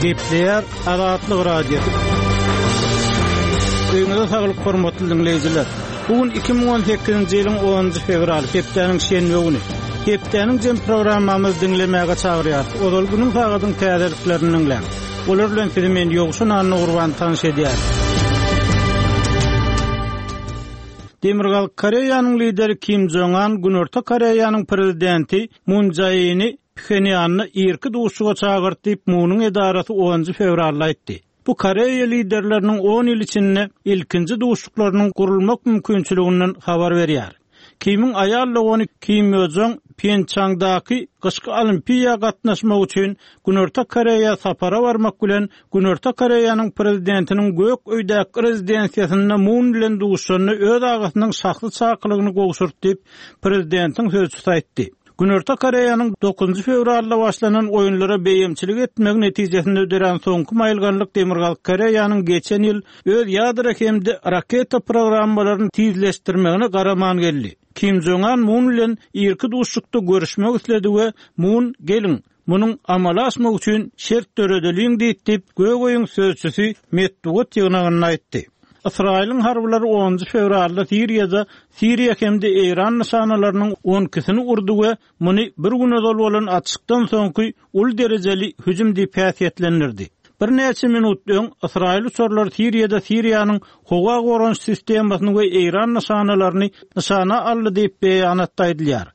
Gepleýär Azatlyk Radiosy. Öýüňize saglyk hormatly diňleýjiler. Bu gün 2018-nji ýylyň 10-njy fewraly, hepdäniň şenbe güni. Hepdäniň jem programmamyzy diňlemäge çagyrýarys. Ozal günüň sagadyň täzeliklerini diňläň. Olar bilen sizi men Ýowşan Annagurban tanyş edýärin. Demirgazyk Koreýanyň lideri Kim Jong An Günorta Koreýanyň prezidenti Mun Jae-ini Phenýanda irki duşuşyga çagyrdy diýip, Munuň edarasy onunjy fewralda aýtdy. Bu koreýa liderleriniň on ýyl içinde ilkinji duşuşyklarynyň gurulmak mümkinçiliginden habar berýär. Kimiň aýal dogany Kim Ýo Joň Pýençangdaky gyşky Olimpiýa gatnaşmak üçin Günorta Koreýa sapara barmak bilen Günorta Koreýanyň prezidentiniň Gök öýdäki rezidensiýasynda Mun bilen duşuşanda öz agasynyň şahsy çakylygyny gowşurdy diýip, prezidentiň sözçüsi aýtdy. Günorta Koreýanyň dokuzynjy fewralda başlanan oýunlara beýemçilik etmegi netijesinde dörän soňky maýylganlyk Demirgazyk Koreýanyň geçen ýyl öz ýadro hem-de raketa programmalaryny tizleşdirmegine garaman geldi. Kim Jong An Mun bilen irki duşuşykda görüşmek isledi we Mun, Geliň, munuň amala aşmagy üçin şert döredeliň diýdi diýip, Gök öýüň sözçüsi metbugat ýygnagynda aýtdy. Ysraýylyň harbylary onunjy fewralda Siriýada Siriýa hem-de Eýran nyşanalarynyň on ikisini urdy we muny bir gün ozal bolan atyşykdan soňky uly derejeli hüjüm diýip häsiýetlendirdi. Birnäçe minut öň ysraýyl uçarlary Siriýada Siriýanyň howa goranyş sistemasyny we Eýran nyşanalaryny nyşana aldy diýip, beýanatda aýdylýar.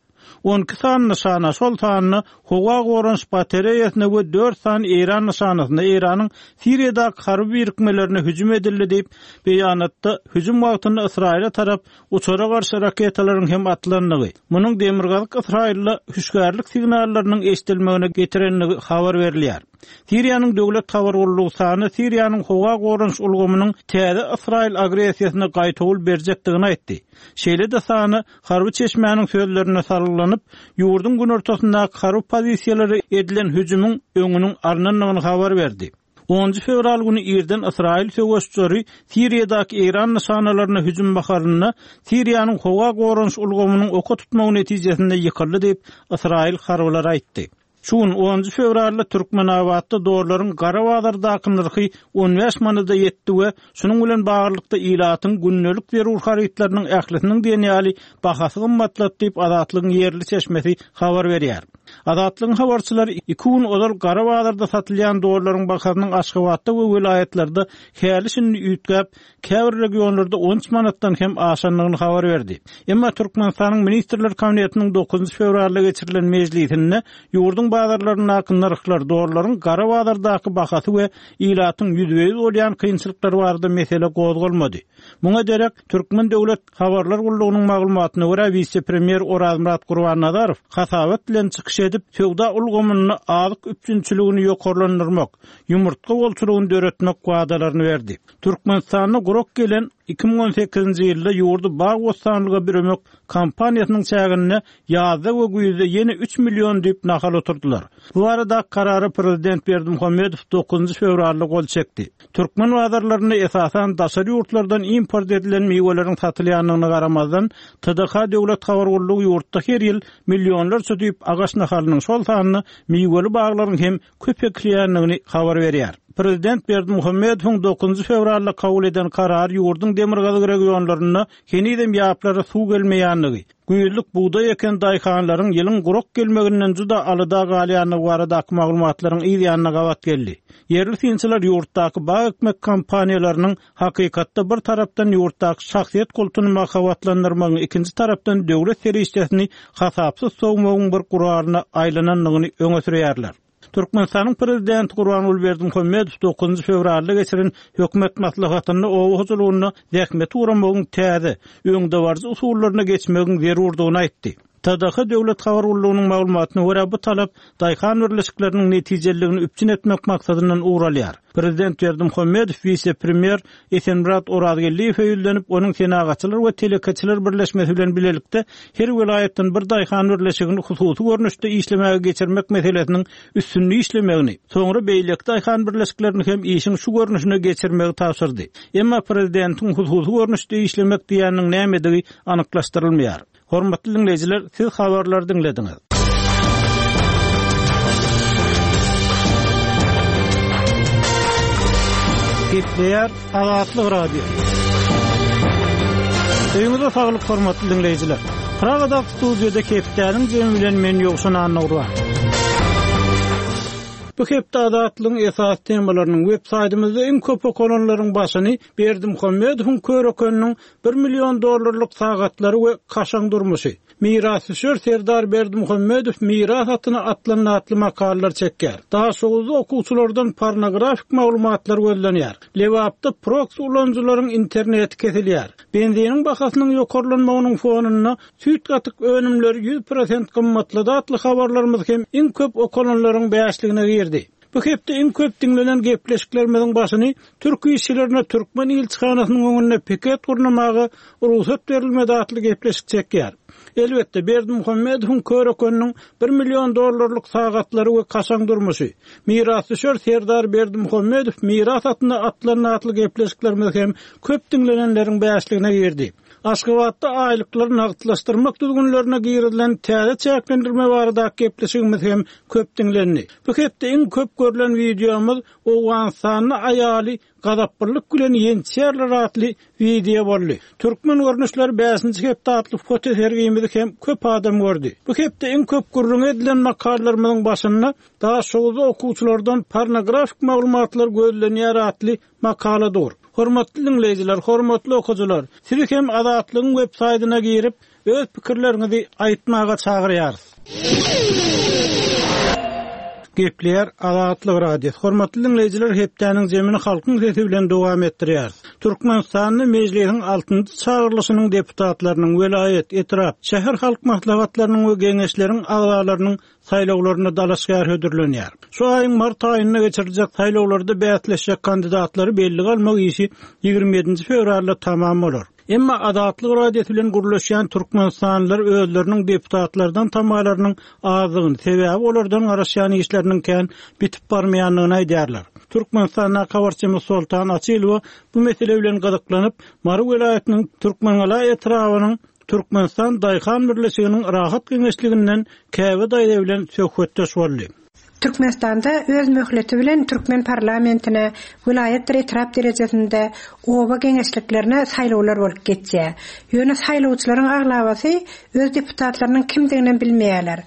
12 sany nyşana, şol sanda howa goranyş batareýasyna we dört sany eýran nyşanasyna Eýranyň Siriýadaky harby birikmelerine hüjüm edildi diýip, beýanatda hüjüm wagtynda Ysraýyla tarap uçara garşy raketalaryň hem atylandygy, munuň demirgazyk Ysraýylda hüşgärlik signallarynyň eşidilmegine getirendigi habar berilýär. Siriýanyň döwlet habar gullugy SANA Siriýanyň howa goranyş ulgamynyň täze ysraýyl agressiýasyna gaýtawul berjekdigini aýtdy. Şeýle-de SANA Harby çeşmäniň sözlerine salgylanyp, ýurduň günortasyndaky harby pozisiýalara edilen hüjümiň öňüniň alnandygyny habar berdi. Onunjy fewral güni irden ysraýyl söweş uçary Siriýadaky eýran nyşanalaryna hüjüm mahalynda Siriýanyň howa goranyş ulgamynyň oka tutmagy netijesinde ýykyldy diýip, ysraýyl harbylary aýtdy. Şu gün, onunjy fewralda Türkmenabatda dollaryň gara bazardaky nyrhy 15 manada ýetdi we şunuň bilen baglylykda ilatyň gündelik zerur harytlarynyň ählisiniň diýen ýaly bahasy gymmatlady diýip, Azatlygyň ýerli çeşmesi habar berýär. Azatlygyň habarçylary iki gün ozal gara bazarda satylýan dollaryň bahasynyň Aşgabatda we welaýatlarda häli-şindi üýtgäp, käbir regionlarda 13 manatdan hem aşandygyny habar berdi. Emma Türkmenistanyň Ministrler Kabinetiniň dokuzynjy fewralda geçirilen mejlisinde ýurduň bazarlaryndaky nyrhlar, dollaryň gara bazardaky bahasy we ilatyň ýüzbe-ýüz bolýan kynçylyklary barada mesele gozgalmady. Muňa derek, Türkmen döwlet habarlar gullugynyň maglumatyna görä, wise-premýer Orazmyrat Gurbannazarow hasabat bilen çykyş edip, söwda ulgamynda azyk üpjünçiligini ýokarlandyrmak, ýumurtga bolçulygyny döretmek wadalaryny berdi. Türkmenistanda gurak gelen 2018-nji ýylda ýurdy bag-bossanlyga büremek kampaniýasynyň çäginde ýazda we güýzde ýene üç million düýp nahal oturdylar. Bu baradaky karara prezident Berdimuhamedow dokuzynjy fewralda gol çekdi. Türkmen bazarlarynda esasan daşary ýurtlardan import edilen miweleriň satylýandygyna garamazdan, TDH döwlet habar gullugy ýurtda her ýyl millionlarça düýp agaç nahalynyň, şol sanda miweli baglaryň hem köp ekilýändigini habar berýär. Prezident Berdimuhamedowyň dokuzynjy fewralda kabul eden karary ýurduň demirgazyk regionlarynda henizem ýaplara suw gelmeýändigi, güýzlük bugdaý eken daýhanlaryň ýylyň gurak gelmeginden juda alada galýandygy baradaky maglumatlaryň yz ýanyna gabat geldi. Ýerli synçylar ýurtdaky bag ekmek kampaniýalarynyň Hakykatda bir tarapdan ýurtdaky şahsyýet kultuny mahabatlandyrmagyň, ikinji tarapdan döwlet serişdesini hasapsyz sowmagyň bir guralyna aýlanandygyny öňe sürýärler. Türkmenistanyň Prezidenti Gurbanguly Berdimuhamedow dokuzynjy fewralda geçiren hökümet maslahatynda oba hojalygynda zähmeti guramagyň täze, öňdebaryjy usullaryna geçmegiň zerurdygyny aýtdy. TDH döwlet habar gullugynyň maglumatyna görä, bu talap daýhan birleşikleriniň netijeliligini üpjün etmek maksadyndan ugur alýar. Prezident Berdimuhamedow wise-premýer Esenmyrat Orazgeldiýewe ýüzlenip, onuň Senagatçylar we telekeçiler birleşmesi bilen bilelikde her welaýatdan bir daýhan birleşigini hususy görnüşde işlemäge geçirmek meselesiniň üstünde işlemegini, soňra beýleki daýhan birleşiklerini hem işiň şu görnüşine geçirmegi tabşyrdy. Emma prezidentiň hususy görnüşde işlemek diýýäniniň nämedigi anyklaşdyrylmaýar. Hormatly diňleýjiler, siz habarlary diňlediňiz. Gepleýär Azatlyk Radiosy. Öýüňize saglyk hormatly diňleýjiler. Pragadaky studiýada hepdäniň jemi bilen men Ýowşan Annagurban. Bu hepde Azatlygyň esasy temalarynyň web saýtymyzda iň köp okalanlaryň başyny Berdimuhamedowyň körekeniniň bir million dollarlyk sagatlary we kaşaň durmuşy, Mirasdüşer Serdar Berdimuhamedow miras atyna atlandy atly makalalar çekýär. Daşoguzda okuwçylardan pornografik maglumatlar gözlenýär. Lebapda proksi ulanyjylaryň interneti kesilýär. Benziniň bahasynyň ýokarlanmagynyň fonunda süýt-gatyk önümleri 100% gymmatlady atly habarlarymyz hem iň köp okalanlaryň bäşligine girdi. Bu hepde iň köp diňlenen gepleşiklerimiziň başyny türk işçilerine türkmen ilçihanasynyň öňünde piket gurnamaga rugsat berilmedi atly gepleşik çekýär. Elbetde, Berdimuhamedowyň körekeniniň bir million dollarlyk sagatlary we kaşaň durmuşy, Mirasdüşer Serdar Berdimuhamedow miras atyna atlandy atly gepleşiklerimiz hem köp diňlenenleriň bäşligine girdi. Aşgabatda aýlyklary nagtlaşdyrmak düzgünlerine girizilen täze çäklendirme baradaky gepleşigimiz hem köp diňlendi. Bu hepde iň köp görlen wideomyz Owganystanda aýaly gazaplylyk bilen ýençýärler atly wideo boldy. Türkmen görnüşleri bäşinji hepde atly foto sergimizi hem köp adam gördi. Bu hepde iň köp gürrüňi edilen makalalarymyzyň başynda Daşoguzda okuwçylardan pornografik maglumatlar gözlenýär atly makala dur. Hormatly diňleýjiler, hormatly okyjylar, sizi hem Azatlygyň web saýdyna girip, öz pikirleriňizi aýtmaga çagyrýarys. Gepleýär Azatlyk Radiosy. Hormatly diňleýjiler, hepdäniň jemini Halkyň sesi bilen dowam etdirýäris. Türkmenistanda Mejlisiň altynjy çagyrylyşynyň deputatlarynyň, welaýat, etrap, şäher halk maslahatlarynyň we geňeşleriň agzalarynyň saýlawlaryna dalaşgär hödürlenýär. Şu aýyň mart aýynda geçiriljek saýlawlarda bäsleşjek kandidatlary bellige almak işi 27-nji fewralda tamam bolar. Emma Azatlyk Radiosy bilen gürleşýän türkmenistanlylar özleriniň deputatlardan tamalarynyň azdygyny, sebäbi olardan garaşýan işleriniň kän bitip barmaýandygyny aýdýarlar. Türkmenistandaky habarçymyz Soltan Açylowa bu mesele bilen gyzyklanyp, Mary welaýatynyň Türkmengala etrabynyň Türkmenistan daýhan birleşiginiň Rahat geňeşliginden Käbe daýza bilen söhbetdeş boldy. Türkmenistanda öz möhleti bilen türkmen parlamentine, welaýatdyr etrap derejesinde oba geňeşliklerine saýlawlar bolup geçýär. Ýöne saýlawçylaryň aglabasy öz deputatlarynyň kimdiginem bilmeýärler.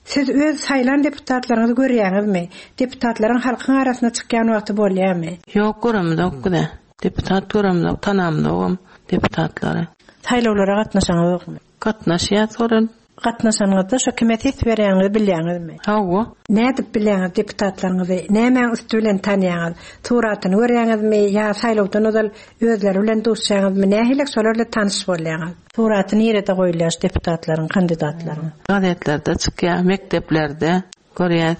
Siz öz saýlan deputatlaryňyzy görýäňizmi? Deputatlaryň halkyň arasyna çykýan wagty bolýarmy? Ýok, göremzok biz-ä. Deputat göremzok, tanamzogam deputatlary. Saýlawlara gatnaşaňyzokmy? Gatnaşýas gören. Gatnaşanyňyzda şo kime ses berýäňizi bilýäňizmi? Hawa. Nädip bilýäňiz deputatlaryňyzy? Nämäň üsti bilen tanýaňyz? Suratyny görýäňizmi ýa saýlawdan ozal özleri bilen duşýaňyzmy? Nähili şolar bilen tanyş bolýaňyz? Suraty nirede goýulýar şu deputatlaryň, kandidatlaryň? Gazetlerde çykýar, mekdeplerde. Görýäs.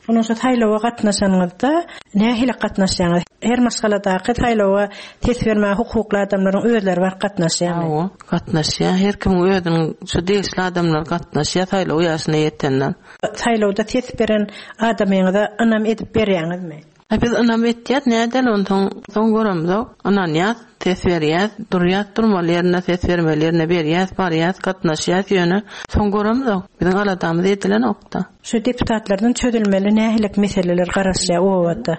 Ondan şu saýlawa gatnaşanyňyzda nähili gatnaşýaňyz? Her maşgaladaky saýlawa ses bermäge hukukly adamlaryň özleri baryp gatnaşýarmy? Hawa, gatnaşýar. Her kimiň özüniň şu degişli adamlar gatnaşýar saýlaw ýaşyna ýetenler. Saýlawda ses beren adamyňyza ynam edip berýäňizmi? A biz ynam etýäs, nädeli onsoň, soň göremzok. Ynanýas, ses berýäs, durýas durmaly ýerinde, ses bermeli ýerine berýäs, barýas, gatnaşýas, ýöne soň göremzok. Biziň aladamyz edilenokda. Şu deputatlardan çözülmeli nähilek meseleler garaşýar obada?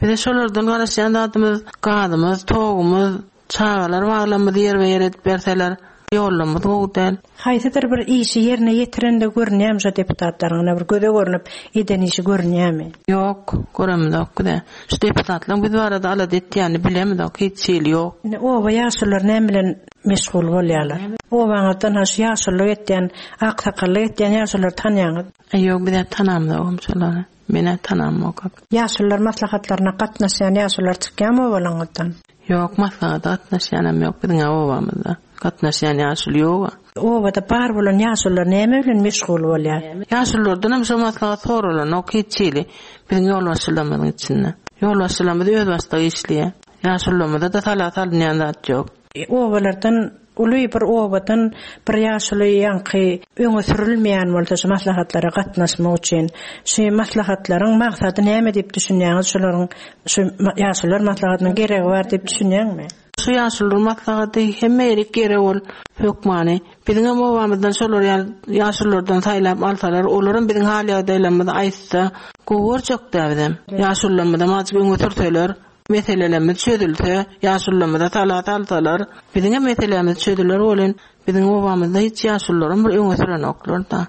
Bize şolardan garaşýan zadymyz gazymyz, togumyz, Çagalar baglarymyzy ýerbe-ýer edip berseler, ýollarymyz gowy däl. Haýsydyr bir işi ýerine ýetirendigi görünýärmi şo deputatlaryň ine bir göze görnüp eden işi görünýärmi? Ýok, göremizok bizä. Şu deputatlaryň biz barada alada etýänini bilemizok, hiç hili ýok. Indi oba ýaşululary näme bilen meşgul bolýarlar? Obaňyzdan ha şu ýaşululyk etýän, aksakallyk etýän ýaşululary tanýaňyz? Ýok, bizä tanamzogam şolary. Menä tanamok. Ýaşulular maslahatlaryna gatnaşýan ýaşulular çykýarmy obalaňyzdan? Ýok, maslahata gatnaşýanam ýok biziň-ä obamyzda. Gatnaşýan ýaşuly ýog-a. Obada bar bolan ýaşulular näme bilen meşgul bolýar? Ýaşululardanam şo maslahat soralanok hiç hili biziň ýolbaşçylarymyzyň içinde. Ýolbaşçylarymyz özbaşdak işleýär. Ýaşulularymyza-da sala salynýan zat ýok. Obalardan uly bir obadan bir ýaşuly ýaňky öňe sürülmeýän bolsa şu maslahatlara gatnaşmak üçin şu maslahatlaryň maksady näme diýip düşünýäňiz şolaryň şu ýaşulular maslahatynyň geregi bar diýip düşünýäňmi? Şu ýaşulular maslahaty hemme ýerik gerek ol hökmany. Biziňem obamyzdan şolar ýaly ýaşululardan saýlap alsalar olaram biziň hal ýagdaýlarymyzy aýtsa gowy görjekdä bizem. Ýaşulularymyzam azajyk öňe sürseler. Meselelerimiz çözülse, ýaşulularymyza sala salsalar, biziňem meselämiz çözüler welin, biziň obamyzda hiç ýaşulularam bir öňe sürenoklar-da.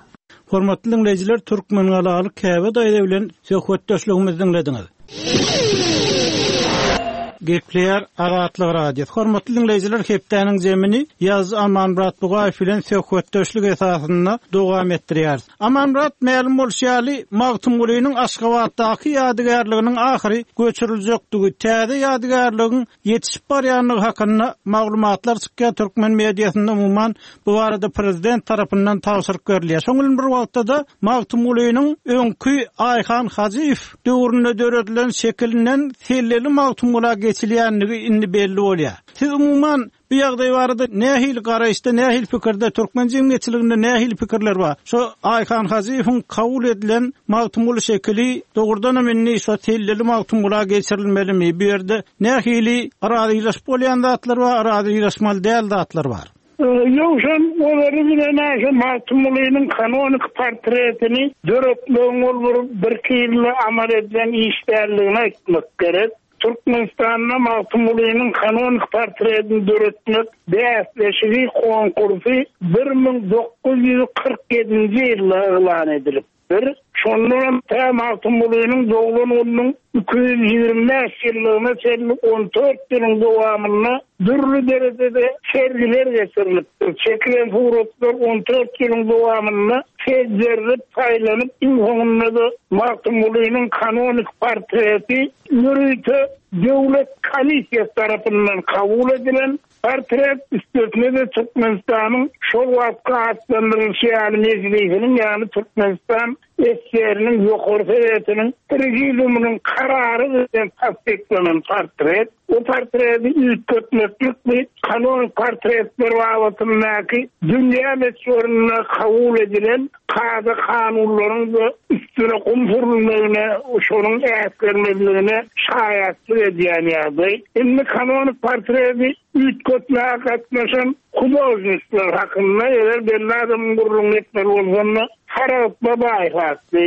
Hormatly diňleýjiler, Türkmengalaly Käbe daýza bilen söhbetdeşligimizi diňlediňiz. Gepleýär Azatlyk Radiosy. Hormatly diňleýjiler, hepdäniň zemini ýazyjy Amanmyrat Bugaýew bilen söhbetdeşlik esasynda dowam etdirýäris. Amanmyrat, mälim bolşy ýaly, Magtymgulynyň Aşgabatdaky ýadygärliginiň ahyry göçüriljekdigi, täze ýadygärligiň ýetişip barýandygy hakynda maglumatlar çykýar, türkmen mediasynda umuman bu barada prezident tarapyndan tabşyryk berilýär. Şonuň bilen bir wagtda-da Magtymgulynyň öňki Aýhan Hajyýew döwründe döredilen şekilinden selleli Magtymgula geçilýändigi indi belli bolýar. Siz umuman Bu ýagdaý barada nähili garaýyşda, nähili pikirde, türkmen jemgyýetçiliginde nähili pikirler bar? Şo Aýhan Hajyýewiň kabul edilen Magtymguly şekili dogrudanam indi şo selleli Magtymgula geçirilmelimi? Bu ýerde nähili razylaşyp bolýan zatlar bar, razylaşmaly däl zatlar bar? Ýowşan ozaly bilen-ä şo Magtymgulynyň kanonik portretini döretmegiň ol bir birki ýylda amal edilen iş däldigini aýtmak gerek. Türkmenistanda Magtymgulynyň kanonik portretini döretmek bäsleşigi, konkursy, 1947-nji ýylda yglan edilipdir. Şondanam tä Magtymgulynyň doglan gününiň 225 ýyllygyna çenli on dört ýylyň dowamynda dürli derejede sergiler geçirilipdir. Çekilen suratlar on dört ýylyň dowamynda seljerilip, saýlanyp, iň soňunda-da Magtymgulynyň kanonik portreti Ýörite döwlet komissiýasy tarapyndan kabul edilen portret, üstesine-de Türkmenistanyň şol wagtky atlandyrylyşy ýaly Mejlisiniň, ýagny Türkmenistan SSR-niň Ýokary Sowetiniň Prezidiumynyň karary bilen tassyklanan portret. Bu portreti üýtgetmeklik bu kanonik portretler babatyndaky dünýä möçberinde kabul edilen kada-kanunlaryň-da üstüne gum sürülmegine, şonuň äsgermezligine şaýatlyk edýän ýagdaý. Indi kanonik portreti üýtgetmäge gatnaşan hudožnikler hakynda eger belli adamyň gürrüňini etmeli bolsam-da, Saragt Babaýew atly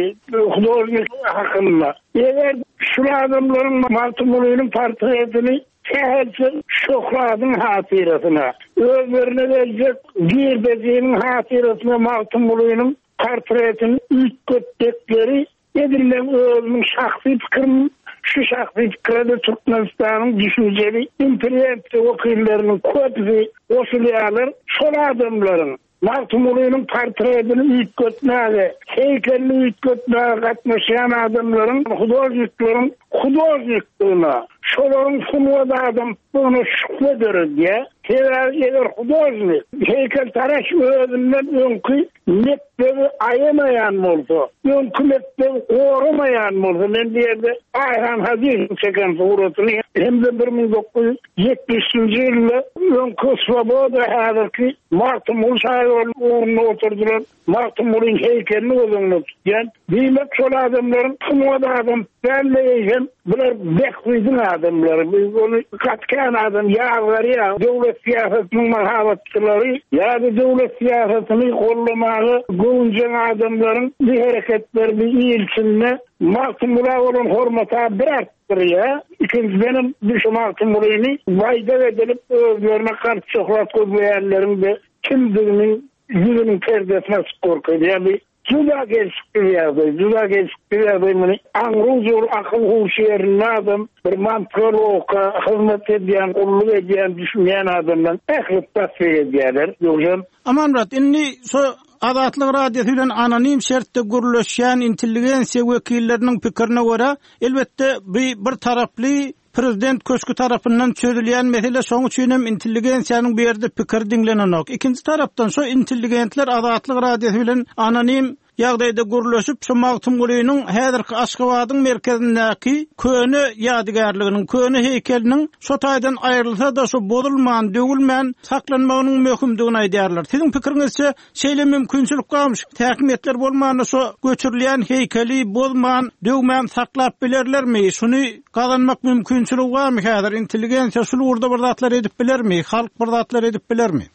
hudožnik hakynda. Eger şul adamlaryň Magtymgulynyň portretini sähelçe şöhratyň hatyrasyna, özlerine geljek girdejiniň hatyrasyna Magtymgulynyň portretini üýtgetjekleri edil meň özümiň şahsy pikirim, şu şahsy pikire-de Türkmenistanyň düşünjeli intelligensiýa wekilleriniň köpüsi goşulýarlar, şol adamlaryň Magtymgulynyň portretini üýtgetmäge, heýkelini üýtgetmäge gatnaşýan adamlaryň, hudožnikleriň hudožnikdigine, şolaryň sungat adamdygyna şübhe döredýär. Sebäbi eger hudožnik, heýkeltaraş özünden öňki mekdebi aýamaýan bolsa, öňki mekdebi goramaýan bolsa, men bu ýerde Aýhan Hajyýewiň çeken suratyny hem-de 1970-nji ýylda öňki Swoboda, häzirki Magtymguly şaýolunyň ugrunda oturdylan Magtymgulyň heýkelini göz öňünde tutýan. Diýmek, şol adamlaryň sungat adam däl-de, eýsem, bular bähbidiň adamlary. Ony gaty kän adam ýazgarýar. Döwlet syýasatynyň mahabatçylary ýa-da döwlet syýasatyny goldamaga göwünjeň adamlaryň bu hereketleri bu il içinde Magtymgula bolan hormata bir artdyrýar. Ikinjidenem bu şu Magtymgulyny baýdak edilip özlerine galp şöhrat gözleýänleriň-de kimdigini ýüzüniň perdesini açyp görkezýär. Bu juda gelşiksiz ýagdaý, juda gelşiksiz ýagdaý muny aňry-ujury akyl-huşy ýerinde adam, bir mantyga, logika hyzmat edýän, gulluk edýän, düşünýän adamlaryň ählisi tassyk edýärler. Ýogsam. Amanmyrat, indi şo Azatlyk Radiosy bilen anonim şertde gürleşýän intelligensiýa wekilleriniň pikirine görä, elbetde, bu bir taraply prezident köşgi tarapyndan çözülýän mesele, şonuň üçin hem intelligensiýanyň bu ýerde pikiri diňlenenok. Ikinji tarapdan, şo intelligentler Azatlyk Radiosy bilen anonim ýagdaýda gürleşip, şu Magtymgulynyň häzirki Aşgabadyň merkezindäki köne ýadygärliginiň, köne heýkeliniň şo taýdan aýrylsa-da, şu bozulman, döwülmän saklanmagynyň möhümdigini aýdýarlar. Siziň pikiriňizçe, şeýle mümkinçilik barmy? Häkimiýetler bolmanda şo göçürilýän heýkeli bozman, döwmän saklap bilerlermi? Şuny gazanmak mümkinçiligi barmy häzir? Intelligensiýa şul ugurda bir zatlar edip bilermi? Halk bir zatlar edip bilermi?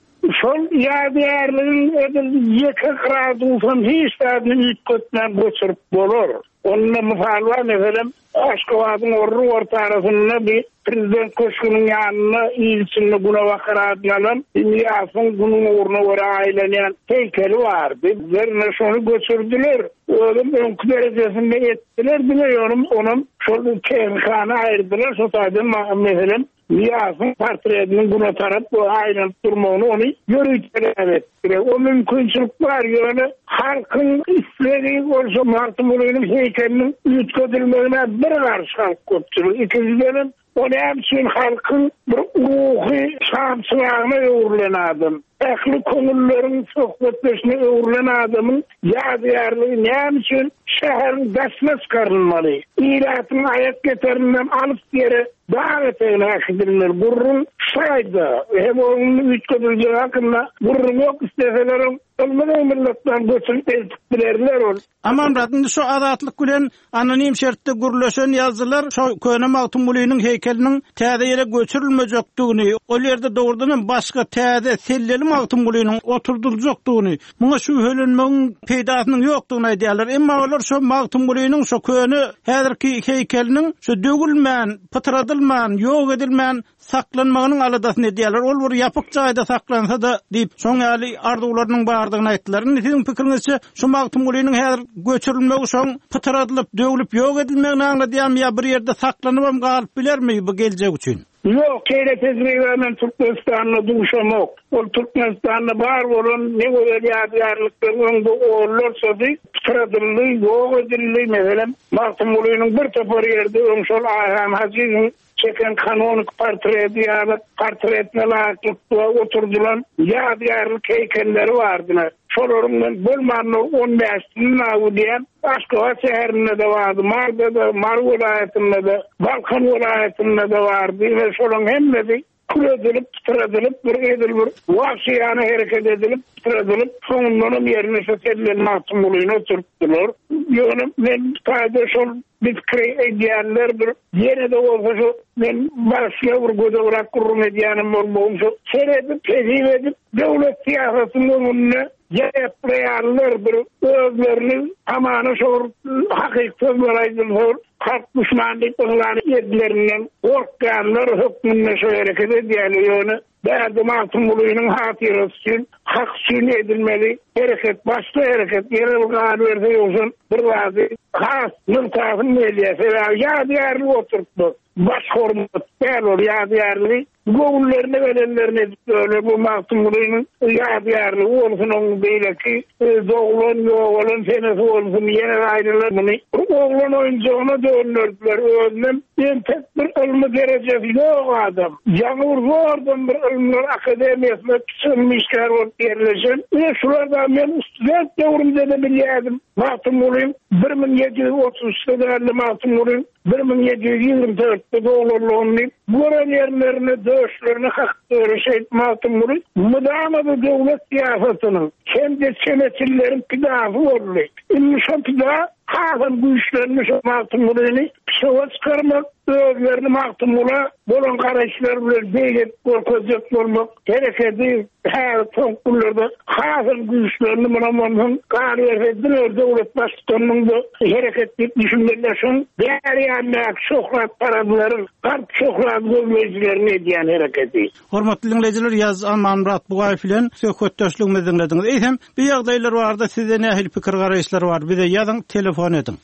Şol ýadygärligiň edil ýeke gradusam hiç zadyny üýtgetmän göçürip bolar. Onda mysal bar, meselem, Aşgabadyň orry ortarasynda bir Prezident köşgüniň ýanynda il içinde Günebakar adyny alan Nyýazowyň günüň ugruna görä aýlanýan heýkeli bardy. Ýerine şony göçürdiler. Özem öňki derejesinde etdiler diňe ýöne onam şol tehnikany aýyrdylar şo taýdan meselem Nyýazowyň portretiniň güne tarap aýlanyp durmagyny ony ýöriteläp etdiler. O mümkinçilik bar ýöne halkyň islegi bolsa Magtymgulynyň heýkeliniň üýtgedilmegine bir garşy halk köpçülik. Ikinjidenem o näme üçin halkyň bir ruhy şamçyragyna öwrülen adam. Ähli köňülleriň söhbetdeşine öwrülen adamyň ýadygärligi näme üçin şäheriň daşyna çykarylmaly? Ilatyň aýak ýeterinden alys ýere, dag etegine äkidilmeli. Gürrüň şaýda. Hem onuň üýtgediljegi hakynda gürrüň ýok. Isleselerem ylmy gymyldakdan göçürip eltip bilerler ol. Amanmyrat, indi şu Azatlyk bilen anonim şertde gürleşen ýazyjylar şo köne Magtymgulynyň heýkeliniň täze ýere göçürilmejekdigini, ol ýerde dogrudan hem başga täze selleli Magtymgulynyň oturdyljakdygyny, muňa şübhelenmegiň peýdasynyň ýokdugyny aýdýarlar. Emma olar şo Magtymgulynyň şo köne häzirki heýkeliniň şo döwülmän, pytradylman, ýok edilmän saklanmagynyň aladasyny edýärler. Ol bir ýapyk jaýda saklansa-da diýip, şoň ýaly arzuwlarynyň bardygyny aýtdylar. Indi siziň pikiriňizçe, şu Magtymgulynyň häzir göçürilmegi şoň pytradylyp, döwlüp ýok edilmegini aňladýarmy ýa bir ýerde saklanybam galyp bilermi bu geljek üçin? Ýok, şeýle tejribä men Türkmenistanda duşamok. Ol Türkmenistanda bar bolan ne gözel ýadygärlikleriň öňde onlarçasy pytradyldy, ýok edildi. Meselem, Magtymgulynyň bir topar ýerde öň şol Aýhan Hajyýewiň Çeken kanonik portreti ýaly portretine laýyklykda oturdylan ýadygärlik heýkelleri bardy. Şolaryň men bolmanda on bäşisini bilýän. Aşgabat şäherinde-de bardy, Maryda-da, Mary welaýatynda-da, Balkan welaýatynda-da bardy we şolaryň hemmesi kül edilip, pytradylyp, bir edil bir wagşyýana hereket edilip, pytradylyp, soňundanam ýerine şu Selleli Magtymgulyny oturtdylar. Ýöne men bu taýda şol Biz pikir edýänler bir ýene-de bolsa şu men başga bir gödegräk gürrüň edýänim bolmagym şu seredip hezil edip döwlet syýasatynyň öňünde ýaýaplaýanlar bir özlerini hamana şo bir hakyky sözler aýdylsa bir halk duşmany diýip yglan edilerinden gorkýanlar hökmünde şo hereket edýärler ýöne Bärde Magtymgulynyň hatyrasy üçin, hak üçin edilmeli hereket başga hereket. Ýene bir galyberse ýogsam bir zady has nygtasym gelýär. Sebäbi ýadygärlik oturtmak baş hormat däl ol ýadygärligi göwünlerine gelenlerini edip ýörler. Bu Magtymgulynyň ýadygärligi bolsun oň beýleki doglan ýogalan senesi bolsun ýene aýdylar muny bir oglan oýunjagyna dönderdiler özünem entek bir ylmy derejesi ýok adam. Ýaňy bir zordan bir Ylymlar akademiýasyna kiçi ylmy işgär bolup ýerleşen. Ine, şular-da men student döwrümde-de bilýärdim. Magtymgulyň 1733-de däl-de, Magtymgulyň 1724-de doglanlygyny diýip, gören ýerlerinde döşlerine kakyp ýören şeýdip Magtymguly mydama-da döwlet syýasatynyň hem-de çemeçilleriň pidasy boldy. Indi şo pida hasam güýçlendi şo Magtymgulyny pişowa çykarmak, özlerini Magtymgula bolan garaýyşlary bilen beýik edip görkezjek bolmak hereketi häzir soňky günlerde hasam güýçlendi. Munam onsoň galyberse diňe bir döwlet baştutanynyň bu hereket diýip düşünmeliler. Şoň bäri ýanyndaky şöhratparazlaryň, galp şöhrat gözleýjileriň edýän hereketi. Hormatly diňleýjiler, Ýazyjy Amanmyrat Bugaýew bilen söhbetdeşligimizi diňlediňiz. Eýsem, bu ýagdaýlar barada sizde nähili pikir-garaýyşlar bar? Bize ýazyň, telefon ediň.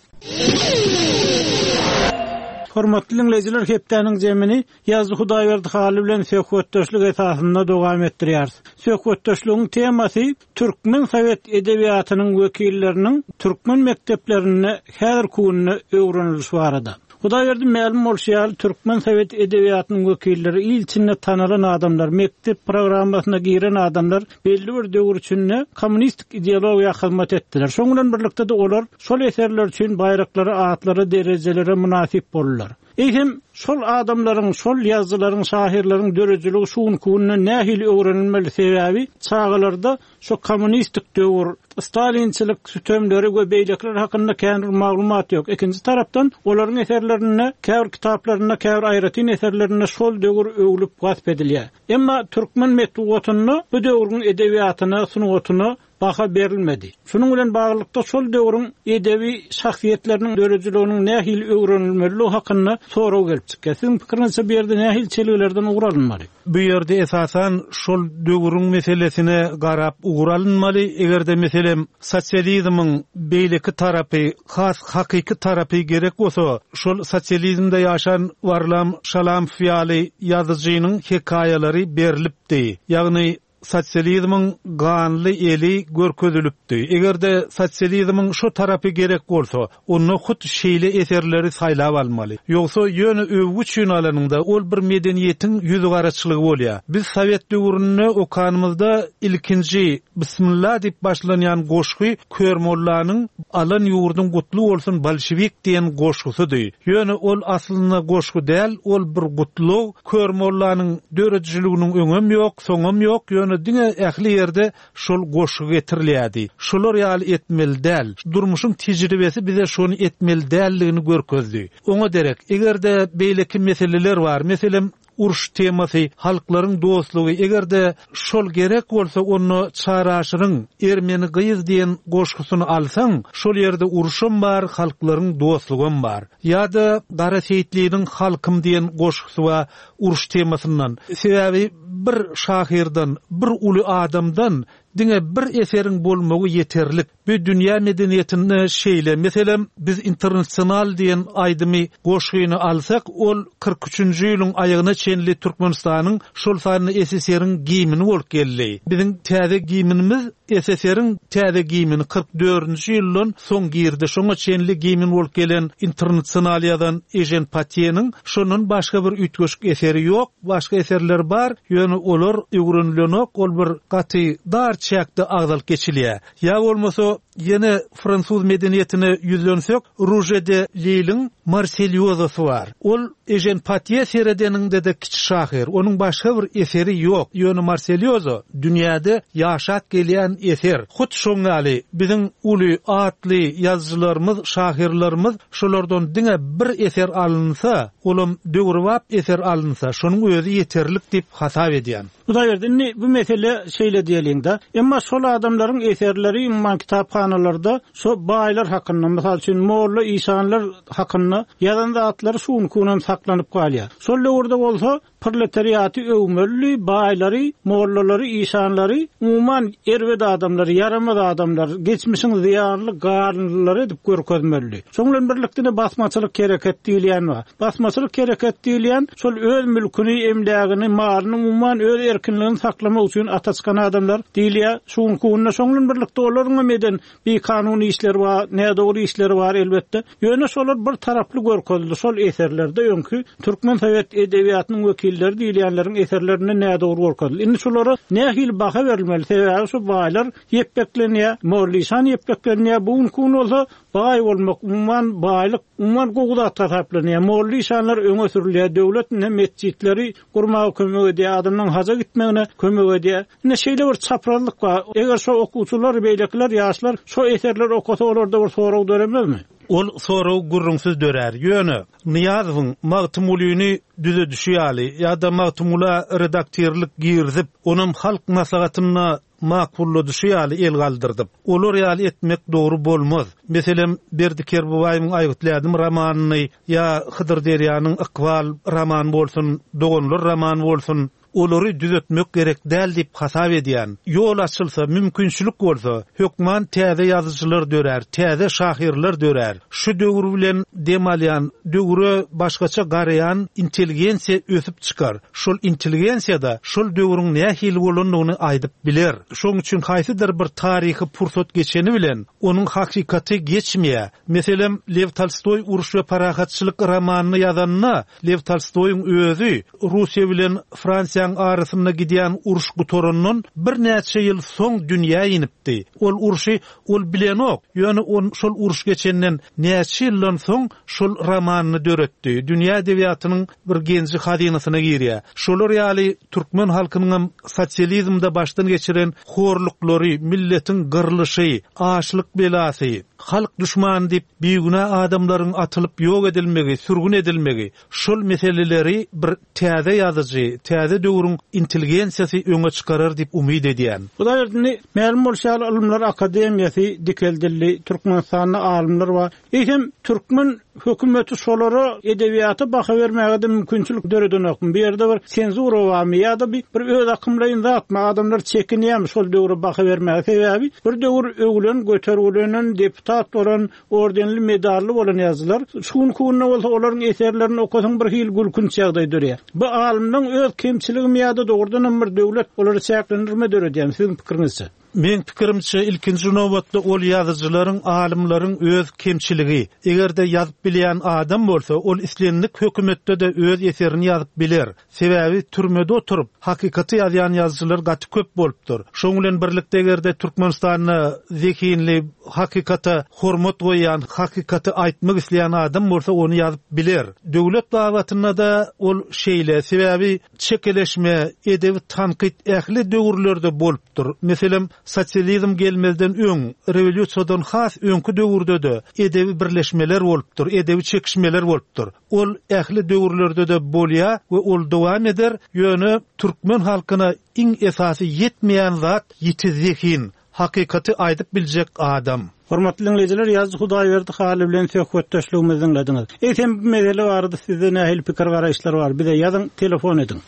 Hormatly diňleýjiler, hepdäniň jemini Ýazyjy Hudaýberdi Hally bilen söhbetdeşlik esasynda dowam etdirýäris. Söhbetdeşligiň temasy türkmen sowet edebiýatynyň wekilleriniň türkmen mekdeplerinde häzirki günde öwrenilişi barada. Hudaýberdi mälim bolşy ýaly, türkmen sowet edebiýatynyň wekilleri, il içinde tanalan adamlar, mekdep programmasyna giren adamlar belli bir döwür içinde kommunistik ideologiýa hyzmat etdiler. Şoň bilen birlikde-de olar şol eserler üçin baýraklara, atlara, derejelere mynasyp boldular. Eýsem, şol adamlaryň, şol ýazyjylaryň, şahyrlaryň döredijiligi şu günki günde nähili öwrenilmeli? Sebäbi çagalarda şo kommunistik döwür, stalinçilik sütemleri we beýlekiler hakynda kän bir maglumat ýok. Ikinji tarapdan, olaryň eserlerinde, käbir kitaplarynda, käbir aýratyn eserlerinde şol döwür öwlüp wasp edilýär. Emma türkmen metbugatynda bu döwrüň edebiýatyna, sungatyna baha berilmedi. Şunuň bilen baglylykda, şol döwrüň edebi şahsyýetleriniň döredijiliginiň nähili öwrenilmelidigi hakynda sorag gelip çykýar. Siziň pikiriňizçe bu ýerde nähili çelgilerden ugur alynmaly? Bu ýerde esasan şol döwrüň meselesine garap ugur alynmaly. Eger-de meselem sosializmiň beýleki tarapy, has hakyky tarapy gerek bolsa, şol sosializmde ýaşan Warlam Şalamow ýaly ýazyjynyň hekaýalary berlipdi. Ýagny Sosializmiň ganly eli görkezilipdi. Eger-de sosializmiň şo tarapy gerek bolsa, onda hut şeýle eserleri saýlap almaly. Ýogsa ýöne öwgi üçin alanyňda, ol bir medeniýetiň ýüzügaraçylygy bolýar. Biz sowet döwründe okanymyzda ilkinji Bismilla diýip başlanýan goşgy Körmollanyň Alan ýurduň gutly bolsun bolşewik diýen goşgusydy. Ýöne ol aslynda goşgy däl, ol bir gutlag. Körmollanyň döredijiliginiň öňem ýok, soňam ýok, ýöne diňe ähli ýerde şol goşgy getirilýärdi. Şolar ýaly etmeli däl. Durmuşyň tejribesi bize şony etmeli däldigini görkezdi. Oňa derek, eger-de beýleki meseleler bar, meselem, uruş temasy, halklaryň dostlugy, eger-de şol gerek bolsa, onda Çary Aşyryň Ermeni gyz diýen goşgusyny alsaň, şol ýerde uruşam bar, halklaryň dostlugam bar. Ýa-da Gara Seýitliniň Halkym diýen goşgusy bar uruş temasyndan. Sebäbi bir şahyrdan, bir uly adamdan diňe bir eseriň bolmagy ýeterlik. Bu dünýä medeniýetinde şeýle. Meselem, biz Internasional diýen aýdymy, goşgyny alsak, ol 43-nji ýylyň aýagyna çenli Türkmenistanyň, şol sanda SSR-iň gimni bolup geldi. Biziň täze gimnimiz SSR-iň täze gimni 44-nji ýyldan soň girdi. Şoňa çenli gimn bolup gelen Internasional ýazan Ežen Patýeniň şondan başga bir üýtgeşik eseri ýok. Başga eserleri bar, ýöne olar öwrenilenok, ol bir gaty dar çäkde agzalyp geçilýär. Ýa bolmasa, ýene fransuz medeniýetine ýüzlensek, Ruje de Liliň Marselýozasy bar. Ol Ežen Patýe seredeniňde-de kiçi şahyr. Onuň başga bir eseri ýok. Ýöne Marselýoza dünýäde ýaşap gelýän eser. Hut şoň ýaly biziň uly, atly ýazyjylarymyz, şahyrlarymyz şolardan diňe bir eser alynsa, olam döwrebap eser alynsa, şonuň özi ýeterlik diýip hasap edýän. Hudaýberdi, indi bu mesele şeýle diýeliň-de, emma şol adamlaryň eserleri umuman kitaphanalarda şo baýlar hakynda, mysal üçin, molla, işanlar hakynda ýazan zatlary şu günki günem saklanyp galýar. Şol döwürde bolsa proletariaty öwmelidi, baýlary, mollalary, işanlary, umuman erbet adamlary, ýaramaz adamlar, geçmişiň zyýanly garynlylary edip görkezmelidi. Şoň bilen birlikde-de basmaçylyk hereket diýilýän bar. Basmaçylyk hereket diýilýän şol öz mülküni, emlägini, malyny umuman öz erkinligini saklamak üçin ata çykan adamlar diýilýär. Şu günki günde şoň bilen birlikde olaryň hem eden bikanun işleri bar, nädogry işleri bar elbetde. Ýöne şolar bir taraply görkezildi şol eserlerde öňki türkmen sowet edebiýatynyň wekilleri diýilýänleriň eserlerinde nädogry görkezildi. Indi şulara nähili baha berilmeli? Sebäbi şu baýlar ýepbeklenýär, molla-işan ýepbeklenýär. Bu günki gün bolsa Baý bolmak, umuman, baýlyk, umuman, gowy zat hasaplanýar. Molla-işanlar öňe sürülýär. Döwlet indi metjitleri gurmaga kömek edýär, adamlaryň haja gitmegine kömek edýär. Indi şeýle bir çaprazlyk bar. Eger şo okuwçylar, beýlekiler, ýaşlar şo eserleri okasa, olarda bir sorag döremezmi? Ol sorag gürrüňsiz dörär. Ýöne, Nyýazowyň Magtymgulyny düzedişi ýaly ýa-da Magtymgula redaktirlik girizip, onam Halk Maslahatynda Makulladyşy ýaly el galdyrdyp. Olar ýaly etmek dogry bolmaz. Meselem, Berdi Kerbabaýewiň Aýgytly ädim romanyny ýa Hydyr Derýanyň Ykbal romany bolsun, Doganlar romany bolsun, olary düzetmek gerek däl diýip hasap edýän. Ýol açylsa, mümkinçilik bolsa, hökman täze ýazyjylar dörär, täze şahyrlar dörär. Şu döwür bilen dem alýan, döwre başgaça garaýan intelligensiýa ösüp çykar. Şol intelligensiýa-da şol döwrüň nähili bolandygyny aýdyp biler. Şonuň üçin haýsydyr bir taryhy pursat geçeni bilen, onuň hakykaty geçmeýär. Meselem, Lew Tolstoý Uruş we parahatçylyk romanyny ýazanda, Lew Tolstoýyň özi Russiýa bilen Fransiýanyň. rewolýusiýaň arasynda gidýän uruş gutarandan birnäçe ýyl soň dünýä inipdi. Ol urşy ol bilenok, ýöne ol şol uruş geçenden näçe ýyldan soň şol romanyny döretdi. Dünýä edebiýatynyň bir genji-hazynasyna girýär. Şolar ýaly türkmen halkynyňam sosializmde başdan geçiren horluklary, milletiň gyrlyşy, açlyk belasy, halk duşmany diýip bigünä adamlaryň atylyp ýok edilmegi, sürgün edilmegi, şol meseleleri bir täze ýazyjy, täze döwrüň intelligensiýasy öňe çykarar diýip umyt edýän. Hudaýberdi, indi mälim bolşy ýaly Ylymlar akademiýasy dikeldildi, Türkmenistanda alymlar bar. Eýsem, türkmen hökümeti şolara edebiýata baha bermäge-de mümkinçilik döredenokmy? Bu ýerde bir senzura barmy ýa-da bi bir öz akymlaýyn zatmy? Adamlar çekinýärmi şol döwre baha bermäge? Sebäbi bir döwür öwülen, götergilenen, deputat bolan, ordenli, medally bolan ýazyjylar, şu günki günde bolsa olaryň eserlerini okasaň bir hili gülkünç ýagdaý döreýär. Bu alymlaryň öz kemçiligimi ýa-da dogrudanam bir döwlet olara çäklendirme döredýärmi siziň pikiriňizçe? Meň pikirimçe, ilkinji nobatda ol ýazyjylaryň, alymlaryň öz kemçiligi. Eger-de ýazyp bilýän adam bolsa, ol islendik hökümetde-de öz eserini ýazyp biler. Sebäbi türmede oturyp, hakykaty ýazýan ýazyjylar gaty köp bolupdyr. Şoň bilen birlikde eger-de Türkmenistanda zehinli, hakykata hormat goýýan, hakykaty aýtmak isleýän adam bolsa, ony ýazyp biler. Döwlet babatynda-da ol şeýle. Sebäbi Çekeleşme, edebi tankyt ähli döwürlerde bolupdyr. Meselem, sosializm gelmezden öň, rewolýusiýadan has öňki döwürde-de edebi birleşmeler bolupdyr, edebi çekişmeler bolupdyr. Ol ähli döwürlerde-de bolýar we ol dowam eder, ýöne türkmen halkyna iň esasy ýetmeýän zat ýiti zehin, Hakykaty aýdyp biljek adam. Hormatly diňleýjiler, ýazyjy Hudaýberdi Hally bilen söhbetdeşligimizi diňlediňiz. Eýsem bu mesele barada sizde nähili pikir-garaýyşlar bar? Bize ýazyň, telefon ediň.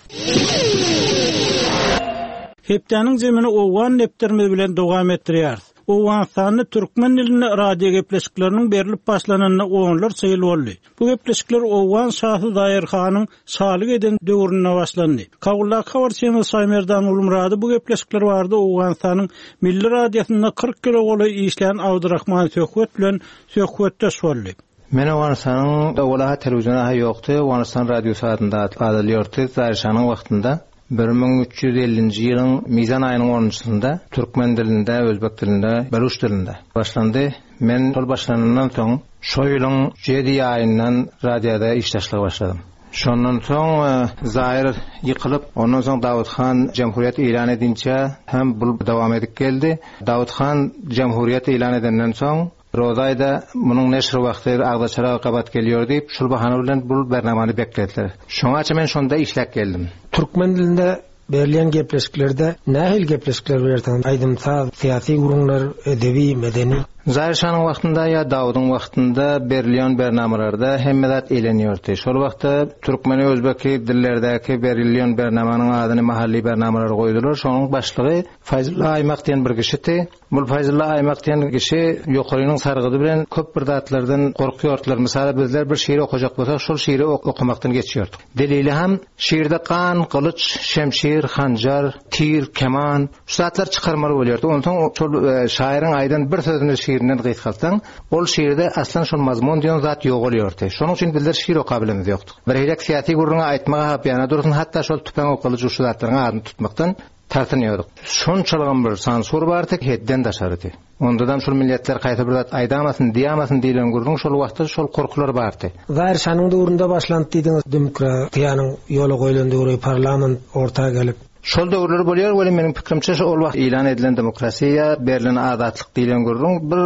Hepdäniň jemini owgan depderimiz bilen dowam etdirýäris. Owganystanda türkmen dilinde radio gepleşikleriniň berlip başlananyna onlarça ýyl boldy. Bu gepleşikler owgan şasy Zaýer hanyň şalyk eden döwründe başlandy. Kabuldaky habarçymyz Şaýmerdan Gulmyrady bu gepleşikler barada Owganystanyň Milli radiosynda 40 ýyla golaý işlän Abdyrahman Söhbet bilen söhbetdeş boldy. Men Owganystanyň owal-a telewizion-a ýokdy, Owganystan radiosy adynda adalýardy Zaýer şanyň wagtynda. 1350-nji ýylyň mizan aýynyň onunjysynda türkmen dilinde, özbek dilinde, beluş dilinde başlandy. Men şol başlanandan soň, şo ýylyň jedi aýyndan radioda işdaşlyga başladym. Şondan soň Zair ýykylyp, ondan soň Dawut han jemhuriýet ýylan edinçä hem bul dowam edip geldi. Dawut han jemhuriýet ýylan edenden soň, Rozaýda munuň neşir wagty agzaçara gabat gelýär diýip, şul bahana bilen bul bernamany beklediler. Şoňaça men şonda işläp geldim. Türkmen dilinde berilýän gepleşiklerde nähili gepleşikler berersiňiz? Aýdym-saz, syýasy gürrüňler, edebi, medeni? Zaýr şanyň wagtynda ýa Dawudyň wagtynda berilýän bernamalarda hemme zat elenýärdi. Şol wagtda türkmeni özbeki dillerdäki berilýän bernamanyň adyny mahalli bernamalar goýdular. Şonuň başlygy Faýzulla Aýmak diýen bir kişidi. Bul Faýzulla Aýmak diýen kişi ýokarynyň sargydy bilen köp bir zatlardan gorkýardylar. Mysala bizler bir şyry okajak bolsak şol şyry okamakdan geçýärdik. Delili ham şirde gan, gylyç, şemşir, hanjar, tir, keman şu zatlary çykarmaly bolýardy. Onsoň şol şaýyryň aýdan bir sözüni şirinden gysgaltsaň ol şirde aslan şol mazmun diýen zat ýogalýardy. Şonuň üçin bizler şir okabilemiz ýokdy. Birhilek syýasy gürrüňi aýtmaga ha bir ýana dursun hatda şol tüpeň gylyç şu zatlaryň adyny tutmakdan Tartynýardyk. Şonçalygam bir sansur bardy, hetden daşarydy. Ondadam şul milletler haýsy bir zat aýdamasyn, diýamasyn diýlen gürrüň şol wagtda şol gorkular bardy. Zaýr şanyň döwründe başlandy diýdiňiz, demokratiýanyň ýola goýlan döwri, parlament orta gelip. Şol döwürler bolýar welin meniň pikirimçe şo ol wagt ýylan edilen demokrasiýa, berlen azatlyk diýlen gürrüň bir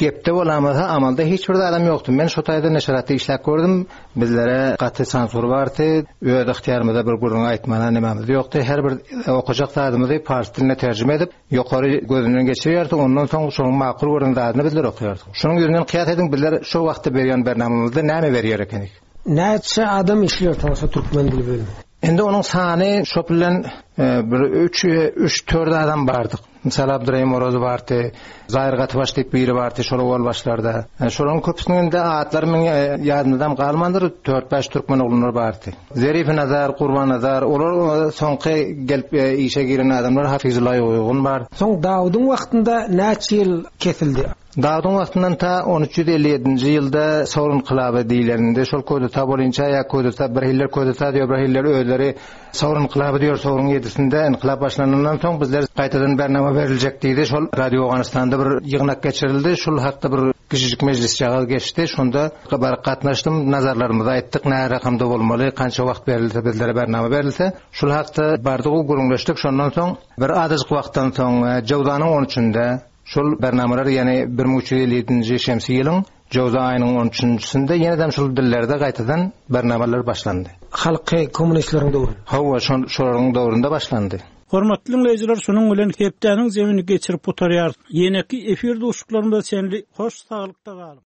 gepde bolamasa amalda hiç bir zadam ýokdy. Men şo taýda neşiratda işläp gördüm. Bizlere gaty sansur bardy. Öz ygtyýarymyzda bir gürrüň aýtmana nemämiz ýokdy. Her bir okajak zadymyzy pars diline terjime edip, ýokary gözünden geçirýärdi. Ondan soň şonuň makul gören zadyny bizler okaýardyk. Şonuň ýüzünden kyýas ediň, bizler şo wagtda berýän bernamamyzda näme berýär ekenik? Näçe adam işleýär toňsa türkmen dili bölüminde? Indi onuň sany şo bilen bir üç, üç-dört adam bardyk. Mysal Abdurahim Orazow bardy, Zaýyr Gatybaş diýip biri bardy şol owal başlarda. Şolaryň köpüsiniň indi atlary meň ýadymdam galmandyr, dört-bäş türkmen oglanlar bardy. Zerifi Nazar, Gurban Nazar, olar soňky gelip işe giren adamlar, Hafyzulla Uýgun bar. Soň Dawudyň wagtynda näçe ýyl kesildi? Dawudyň wagtyndan ta on 357-nji ýylda Sowr ynkylaby diýleninde, şol kudeta bolynça ýa kudeta, bir hiller kudeta diýýär, bir hiller özleri Sowr ynkylaby diýýär, Sowruň ýedisinde ynkylap başlanandan soň bizler gaýtadan bernama beriljek diýdi. Şol Radio Owganystanda bir ýygnak geçirildi. Şul hakda bir kiçijik mejlisjagaz geçdi. Şonda baryp gatnaşdym, nazarlarymyzy aýtdyk, nä rakamda bolmaly, kança wagt berilse bizlere bernama berilse. Şul hakda bardyk, gürrüňleşdik. Şondan soň bir azajyk wagtdan soň Jöwzanyň on üçünde Şol bernamalar ýene 1357-nji şemsi ýylyň jöwza aýynyň on üçünjisinde ýenedem şol dillerde gaýtadan bernamalar başlandy. Halky kommunistleriň döwründe. Hawa, şol şolaryň döwründe başlandy. Hormatly diňleýjiler şunuň bilen hepdäniň zemini geçirip gutarýarys. Ýeneki efir duşuşyklarymyza çenli hoş saglykda galyň.